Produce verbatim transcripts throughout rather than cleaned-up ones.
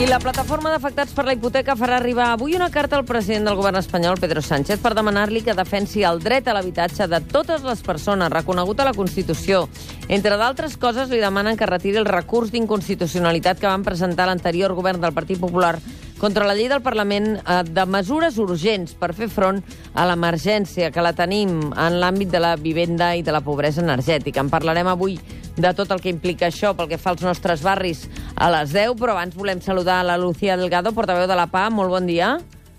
I la plataforma d'afectats per la hipoteca farà arribar avui una carta al president del govern espanyol, Pedro Sánchez, per demanar-li que defensi el dret a l'habitatge de totes les persones, reconegut a la Constitució. Entre d'altres coses, li demanen que retiri el recurs d'inconstitucionalitat que van presentar l'anterior govern del Partit Popular contra la llei del Parlament eh, de mesures urgents per fer front a l'emergència que la tenim en l'àmbit de la vivenda i de la pobresa energètica. En parlarem avui de tot el que implica això pel que fa als nostres barris a les deu, però abans volem saludar la Lucía Delgado, portaveu de la P A. Molt bon dia.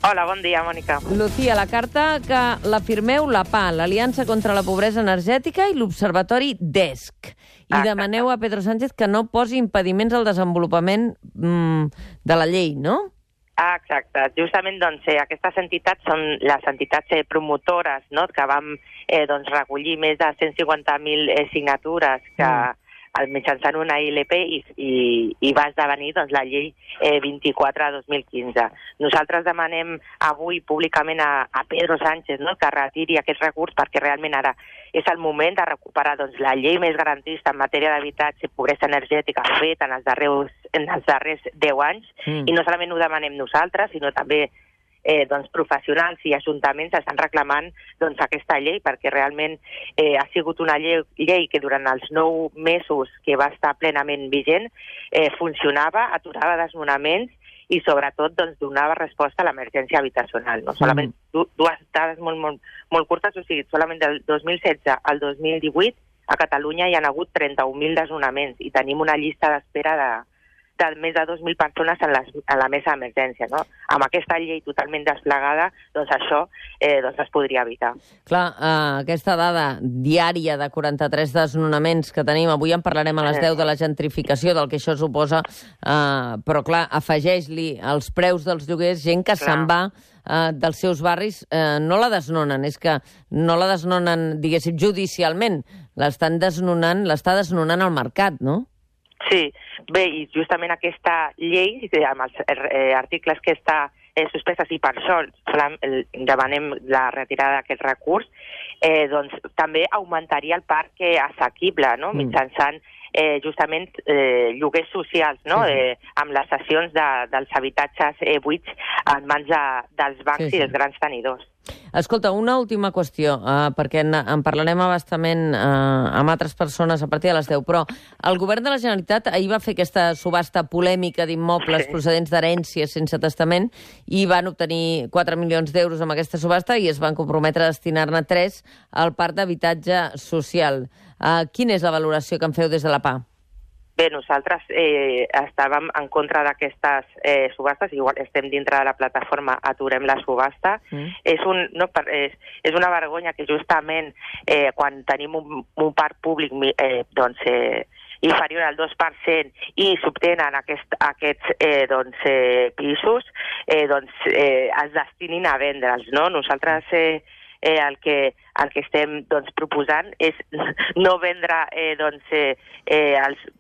Hola, bon dia, Mònica. Lucía, la carta que la firmeu la P A, l'Aliança contra la Pobresa Energètica i l'Observatori D E S C. I Exacte. Demaneu a Pedro Sánchez que no posi impediments al desenvolupament mm, de la llei, no? Ah, exacte. Justament doncs, eh, aquestes entitats són les entitats eh, promotores, no?, que vam eh, doncs, recollir més de cent cinquanta mil eh, signatures que mm. mitjançant una I L P i, i, i va esdevenir doncs, la llei eh, vint-i-quatre dos mil quinze. Nosaltres demanem avui públicament a, a Pedro Sánchez, no?, que retiri aquest recurs perquè realment ara és el moment de recuperar doncs, la llei més garantista en matèria d'habitatge i pobresa energètica feta en els darrers, en els darrers deu anys, mm. i no solament ho demanem nosaltres, sinó també eh, doncs, professionals i ajuntaments estan reclamant doncs, aquesta llei perquè realment eh, ha sigut una llei, llei que durant els nou mesos que va estar plenament vigent eh, funcionava, aturava desnonaments i sobretot doncs, donava resposta a l'emergència habitacional. No? Mm. Solament du dues dades molt, molt, molt curtes, o sigui, solament del dos mil setze al dos mil divuit a Catalunya hi ha hagut trenta-un mil desnonaments i tenim una llista d'espera de, de més de dos mil persones en, les, en la mesa d'emergència. No? Amb aquesta llei totalment desplegada, doncs això eh, doncs es podria evitar. Clar, uh, aquesta dada diària de quaranta-tres desnonaments que tenim, avui en parlarem a les deu de la gentrificació, del que això suposa, uh, però clar, afegeix-li els preus dels lloguers, gent que se'n va uh, dels seus barris, uh, no la desnonen, és que no la desnonen, diguéssim, judicialment, l'estan desnonant, l'està desnonant al mercat, no? Sí, bé, i justament aquesta llei, amb els eh, articles que està eh, suspeses, i per això demanem la retirada d'aquest recurs, eh, doncs també augmentaria el parc assequible, no?, mm. mitjançant eh, justament eh, lloguers socials, no?, sí, sí. Eh, amb les cessions de, dels habitatges eh, buits en mans de, dels bancs, sí, sí. i dels grans tenidors. Escolta, una última qüestió, uh, perquè en, en parlarem abastament uh, amb altres persones a partir de les deu, però el govern de la Generalitat ahir va fer aquesta subhasta polèmica d'immobles sí. procedents d'herències sense testament i van obtenir quatre milions d'euros amb aquesta subhasta i es van comprometre a destinar-ne tres al parc d'habitatge social. Uh, quina és la valoració que en feu des de la P A? Bé, nosaltres eh, estàvem en contra d'aquestes eh, subhastes, igual estem dintre de la plataforma Aturem la subhasta. Mm. És, un, no, és, és una vergonya que justament eh, quan tenim un, un parc públic eh, doncs, eh, inferior al dos per cent i s'obtenen aquest, aquests eh, doncs, eh, pisos, eh, doncs, eh, es destinin a vendre'ls. No? Nosaltres eh, eh, el, que, el que estem doncs, proposant és no vendre eh, doncs, eh, eh, els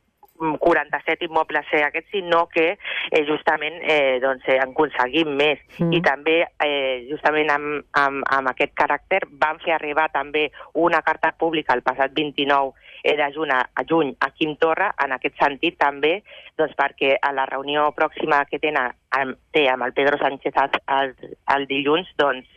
quaranta-set immobles eh, aquests, sinó que eh, justament eh, doncs, eh, en aconseguim més. Mm. I també, eh, justament amb, amb, amb aquest caràcter, van fer arribar també una carta pública el passat vint-i-nou eh, de juny a, a juny a Quim Torra, en aquest sentit també, doncs, perquè a la reunió pròxima que tenen amb, té amb el Pedro Sánchez el, el, el dilluns, doncs,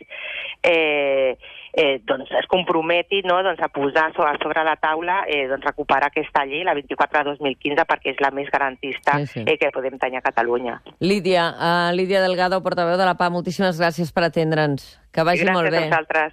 eh, eh, doncs es comprometi, no?, doncs, a posar sobre, sobre la taula eh, doncs, recuperar aquesta llei, la vint-i-quatre dos mil quinze, perquè és la més garantista sí, sí. Eh, que podem tenir a Catalunya. Lídia, uh, Lídia Delgado, portaveu de la P A, moltíssimes gràcies per atendre'ns. Que vagi gràcies molt bé. Gràcies a vosaltres.